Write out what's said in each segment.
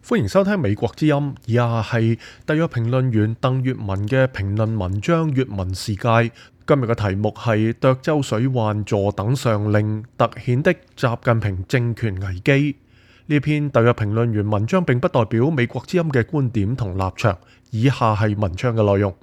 歡迎收聽美國之音，以下係特約評論員鄧粵文嘅評論文章粵文世界。今日嘅題目係涿州水患坐等上令，凸顯的習近平政權危機。呢篇特約評論員文章並不代表美國之音嘅觀點同立場，以下係文章嘅內容。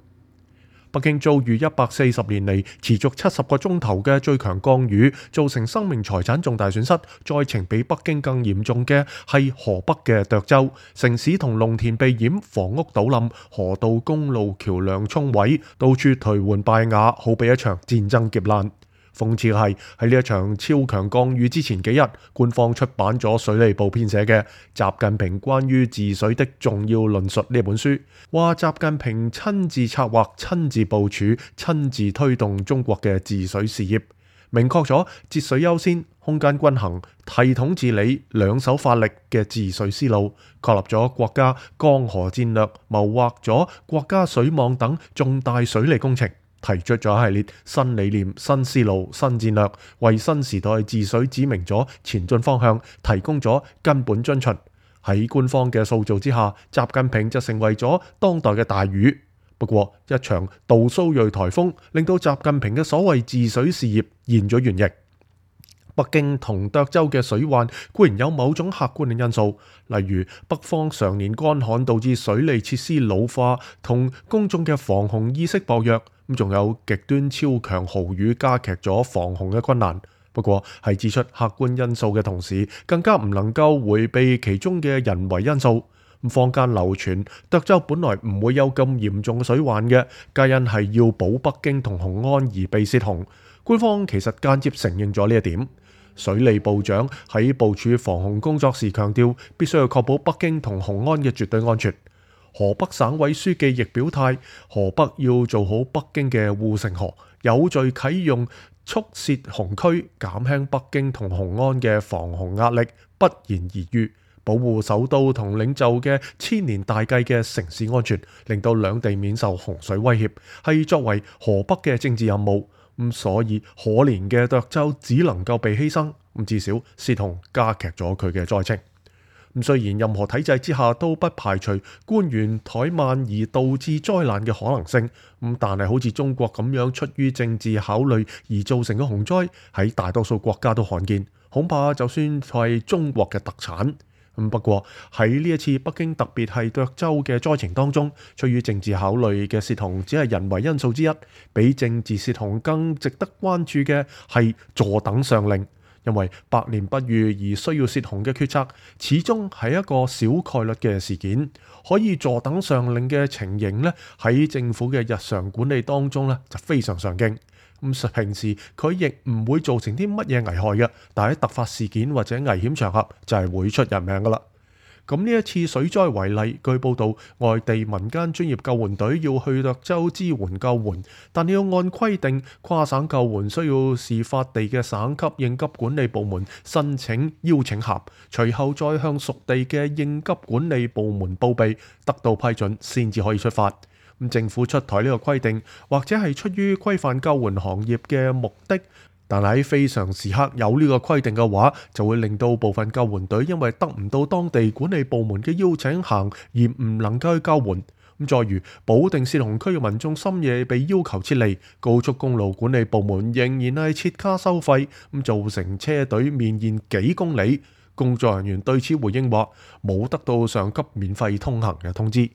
北京遭遇140年嚟持續70個鐘頭嘅最強降雨，造成生命財產重大損失。災情比北京更嚴重嘅係河北嘅涿州，城市同農田被淹，房屋倒冧，河道公路橋樑沖毀，到處頹垣敗瓦，好比一場戰爭劫難。諷刺嘅係喺呢一場超強降雨之前幾日，官方出版咗水利部編寫嘅《習近平關於治水的重要論述》呢本書，話習近平親自策劃、親自部署、親自推動中國嘅治水事業，明確咗節水優先、空間均衡、系統治理、兩手發力嘅治水思路，確立咗國家江河戰略，謀劃咗國家水網等重大水利工程，提出咗一系列新理念、新思路、新戰略，為新時代治水指明咗前進方向，提供咗根本遵循。喺官方嘅塑造之下，習近平就成為咗當代嘅大禹。不過一場杜蘇芮颱風令到習近平嘅所謂治水事業現咗原形。北京同涿州嘅水患固然有某種客觀嘅因素，例如北方常年乾旱導致水利設施老化，同公眾嘅防洪意識薄弱，咁仲有極端超強豪雨加劇咗防洪嘅困難。不過係指出客觀因素嘅同時，更加唔能夠迴避其中嘅人為因素。坊間流傳涿州本來唔會有咁嚴重嘅水患嘅，皆因係要保北京同雄安而被泄洪。官方其實間接承認咗呢一點。水利部長喺部署防洪工作時強調，必須要確保北京同雄安嘅絕對安全。河北省委書記亦表態，河北要做好北京嘅護城河，有序啟用蓄泄洪區，減輕北京同雄安嘅防洪壓力，不言而喻。保護首都同領袖嘅千年大計嘅城市安全，令到兩地免受洪水威脅，係作為河北嘅政治任務。所以可憐嘅涿州只能夠被犧牲，至少泄洪加劇咗佢嘅災情。雖然任何體制之下都不排除官員怠慢而導致災難嘅可能性，但係好似中國咁樣出於政治考慮而造成嘅洪災，喺大多數國家都罕見，恐怕就算係中國嘅特產。不過喺呢一次北京特別係涿州嘅災情當中，出於政治考慮嘅泄洪只係人為因素之一，比政治泄洪更值得關注嘅係坐等上令，因為百年不遇而需要泄洪嘅決策，始終係一個小概率嘅事件。可以坐等上令嘅情形呢，喺政府嘅日常管理當中呢，就非常常見。平時佢亦唔會造成啲乜嘢危害嘅，但喺突發事件或者危險場合就係會出人命噶啦。咁呢一次水災為例，據報道外地民間專業救援隊要去涿州支援救援，但要按規定跨省救援需要事發地嘅省級應急管理部門申請邀請函，隨後再向屬地嘅應急管理部門報備，得到批准先至可以出發。政府出台呢個規定，或者係出於規範救援行業嘅目的，但喺非常時刻有呢個規定嘅話，就會令到部分救援隊因為得唔到當地管理部門嘅邀請函而唔能夠去救援。再如保定泄洪區嘅民眾深夜被要求撤離，高速公路管理部門仍然係設卡收費，造成車隊綿延幾公里。工作人員對此回應話，冇得到上級免費通行嘅通知。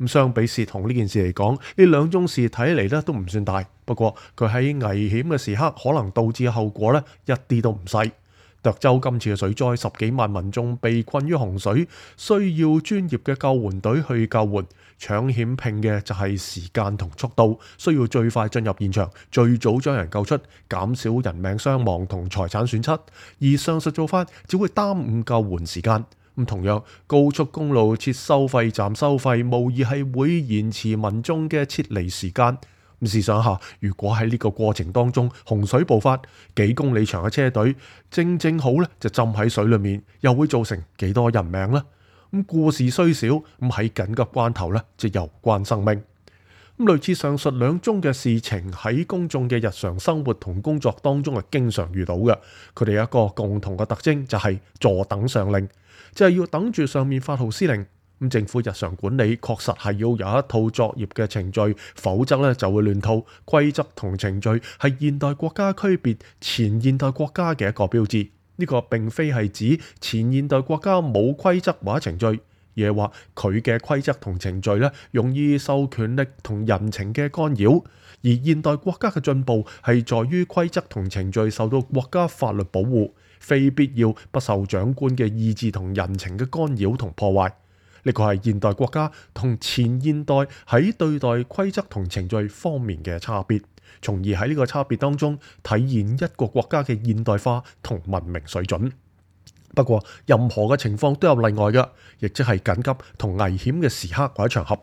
相比泄洪呢件事嚟講，呢兩宗事睇嚟咧都唔算大，不過佢喺危險嘅時刻可能導致嘅後果咧一啲都唔細。涿州今次嘅水災，10幾萬民眾被困於洪水，需要專業嘅救援隊去救援，搶險拼嘅就係時間同速度，需要最快進入現場，最早將人救出，減少人命傷亡同財產損失。而上述做法只會耽誤救援時間。同樣，高速公路設收費站收費，無疑係會延遲民眾嘅撤離時間。試想下，如果喺呢個過程當中洪水爆發，幾公里長嘅車隊正好咧就浸喺水裏面，又會造成幾多人命呢？故事雖少，喺緊急關頭咧就攸關生命。類似上述兩宗嘅事情喺公眾嘅日常生活同工作當中係經常遇到嘅，佢哋有一個共同嘅特徵就係坐等上令。就係要等住上面發號施令。咁政府日常管理確實係要有一套作業嘅程序，否則咧就會亂套。規則同程序係現代國家區別前現代國家嘅一個標誌。呢個並非係指前現代國家冇規則或者程序，而係話佢嘅規則同程序咧容易受權力同人情嘅干擾。而現代國家嘅進步係在於規則同程序受到國家法律保護，非必要不受長官嘅意志同人情嘅干擾同破壞。呢個係現代國家同前現代喺對待規則同程序方面嘅差別，從而喺呢個差別當中體現一個國家嘅現代化同文明水準。不過任何嘅情況都有例外嘅，亦即係緊急同危險嘅時刻或者場合。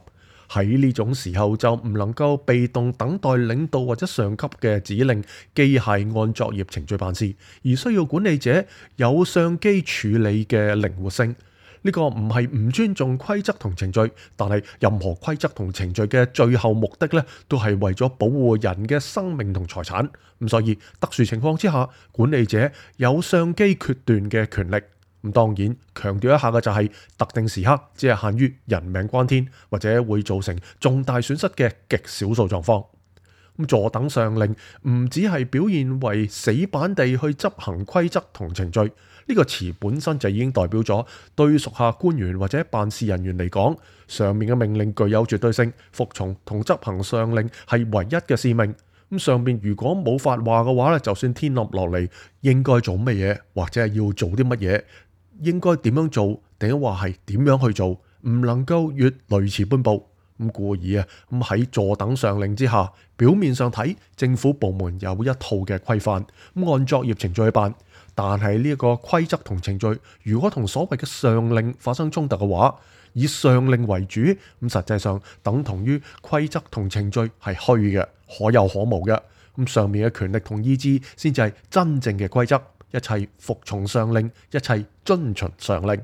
喺呢種時候就唔能夠被動等待領導或者上級嘅指令，機械按作業程序辦事，而需要管理者有上機處理嘅靈活性。呢個唔係唔尊重規則同程序，但係任何規則同程序嘅最後目的咧，都係為咗保護人嘅生命同財產。咁所以特殊情況之下，管理者有上機決斷嘅權力。咁當然強調一下嘅就係特定時刻只係限於人命關天或者會造成重大損失嘅極少數狀況。咁坐等上令唔只係表現為死板地去執行規則同程序，呢個詞本身就已經代表咗對屬下官員或者辦事人員嚟講，上面嘅命令具有絕對性，服從同執行上令係唯一嘅使命。咁上面如果冇發話嘅話咧，就算天冧落嚟，應該做乜嘢或者係要做啲乜嘢，應該點樣做，定話係點樣去做，唔能夠越雷池半步。咁故而咁喺坐等上令之下，表面上睇政府部門有一套嘅規範，咁按作業程序去辦。但係呢一個規則同程序，如果同所謂嘅上令發生衝突嘅話，以上令為主，咁實際上等同於規則同程序係虛嘅，可有可無嘅。咁上面嘅權力同意志先至係真正嘅規則，一切服從上令，一切遵循上令。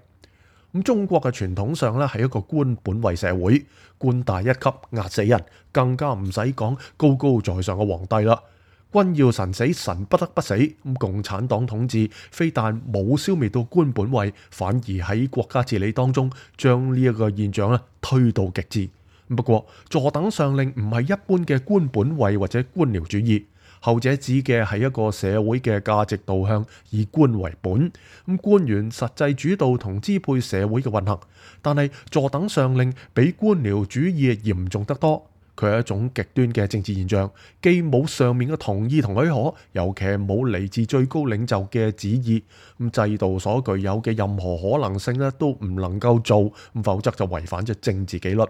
咁中國嘅傳統上咧係一個官本位社會，官大一級壓死人，更加唔使講高高在上嘅皇帝啦。君要臣死，臣不得不死。咁共產黨統治非但冇消滅到官本位，反而喺國家治理當中將呢一個現象咧推到極致。不過坐等上令唔係一般嘅官本位或者官僚主義，後者指嘅係一個社會嘅價值導向，以官為本。咁官員實際主導同支配社會嘅運行，但係坐等上令比官僚主義嚴重得多。佢係一種極端嘅政治現象，既冇上面嘅同意同許可，尤其係冇嚟自最高領袖嘅旨意。咁制度所具有嘅任何可能性咧，都唔能夠做，否則就違反咗政治紀律。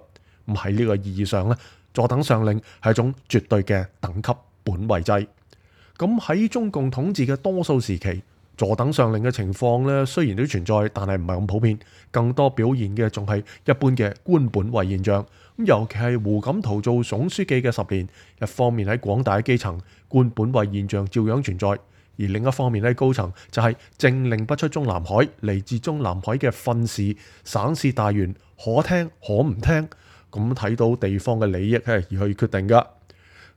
咁喺呢個意義上咧，坐等上令係一種絕對嘅等級本位制。咁喺中共統治嘅多數時期，坐等上令嘅情況咧，雖然都存在，但係唔係咁普遍。更多表現嘅仲係一般嘅官本位現象。咁尤其係胡錦濤做總書記嘅10年，一方面喺廣大嘅基層，官本位現象照樣存在；而另一方面喺高層就係政令不出中南海，嚟自中南海嘅訓示、省市大員可聽可唔聽，咁睇到地方嘅利益而去決定噶。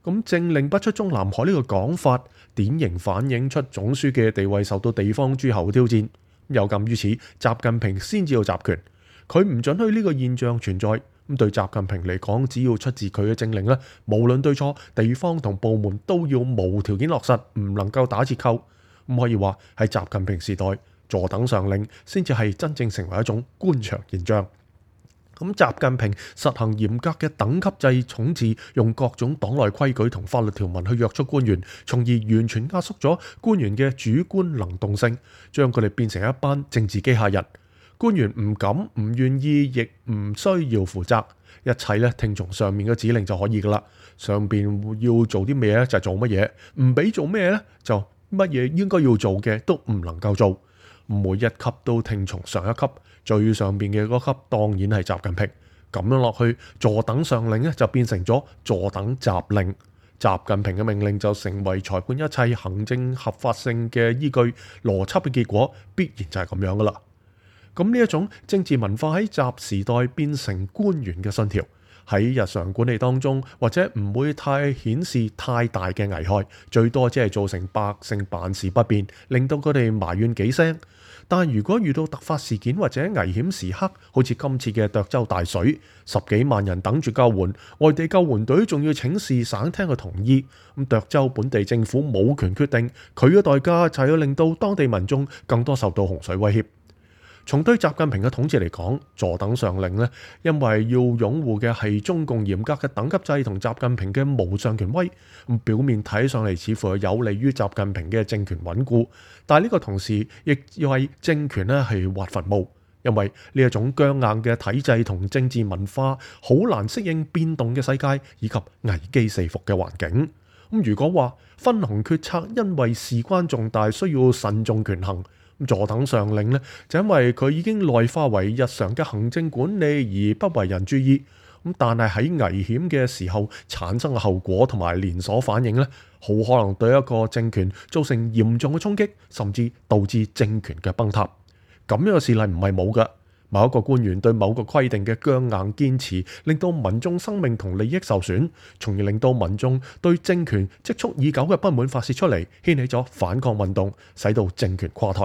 咁政令不出中南海呢個講法，典型反映出總書記嘅地位受到地方諸侯挑戰。有鑑於此，習近平先至要集權，佢唔准許呢個現象存在。咁對習近平嚟講，只要出自佢嘅政令咧，無論對錯，地方同部門都要無條件落實，唔能夠打折扣。咁可以話喺習近平時代，坐等上令先至係真正成為一種官場現象。咁習近平實行嚴格嘅等級制統治，用各種黨內規矩同法律條文去約束官員，從而完全壓縮咗官員嘅主觀能動性，將佢哋變成一班政治機械人。官員唔敢、唔願意，亦唔需要負責，一切咧聽從上面嘅指令就可以噶啦。上邊要做啲咩咧就做乜嘢，唔俾做咩咧就乜嘢應該要做嘅都唔能夠做。每一級都聽從上一級，最上邊嘅嗰級當然係習近平。咁樣落去，坐等上令咧就變成咗坐等習令。習近平嘅命令就成為裁判一切行政合法性嘅依據，邏輯嘅結果必然就係咁樣噶啦。咁呢一種政治文化喺習時代變成官員嘅信條，喺日常管理當中，或者唔會太顯示太大嘅危害，最多只係造成百姓辦事不便，令到佢哋埋怨幾聲。但如果遇到突發事件或者危險時刻，好似今次嘅涿州大水，10幾萬人等住救援，外地救援隊仲要請示省廳嘅同意，咁涿州本地政府冇權決定，佢嘅代價就係要令到當地民眾更多受到洪水威脅。從對習近平嘅統治嚟講，坐等上令呢，因為要擁護嘅係中共嚴格嘅等級制同習近平嘅無上權威，咁表面睇上嚟似乎係有利於習近平嘅政權穩固，但係呢個同時亦要為政權呢係挖墳墓，因為呢一種僵硬嘅體制同政治文化好難適應變動嘅世界以及危機四伏嘅環境。咁如果話分紅決策因為事關重大，需要慎重權衡。坐等上令呢，就因為佢已經內化為日常嘅行政管理而不為人注意。但係喺危險嘅時候產生嘅後果同埋連鎖反應呢，好可能對一個政權造成嚴重嘅衝擊，甚至導致政權嘅崩塌。咁樣嘅事例唔係冇㗎。某一個官員對某個規定嘅僵硬堅持，令到民眾生命同利益受損，從而令到民眾對政權積蓄已久嘅不滿發洩出嚟，掀起咗反抗運動，使到政權垮台。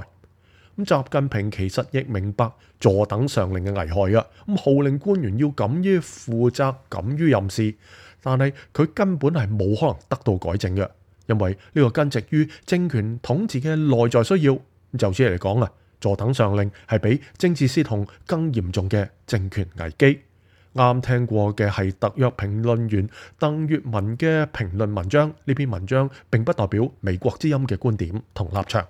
習近平其實亦明白坐等上令嘅危害啊！號令官員要敢於負責、敢於任事，但係佢根本係冇可能得到改正嘅，因為呢個根植於政權統治嘅內在需要。就此嚟講啊，坐等上令係比政治洩洪更嚴重嘅政權危機。啱聽過嘅係特約評論員鄧月文嘅評論文章，呢篇文章並不代表美國之音嘅觀點同立場。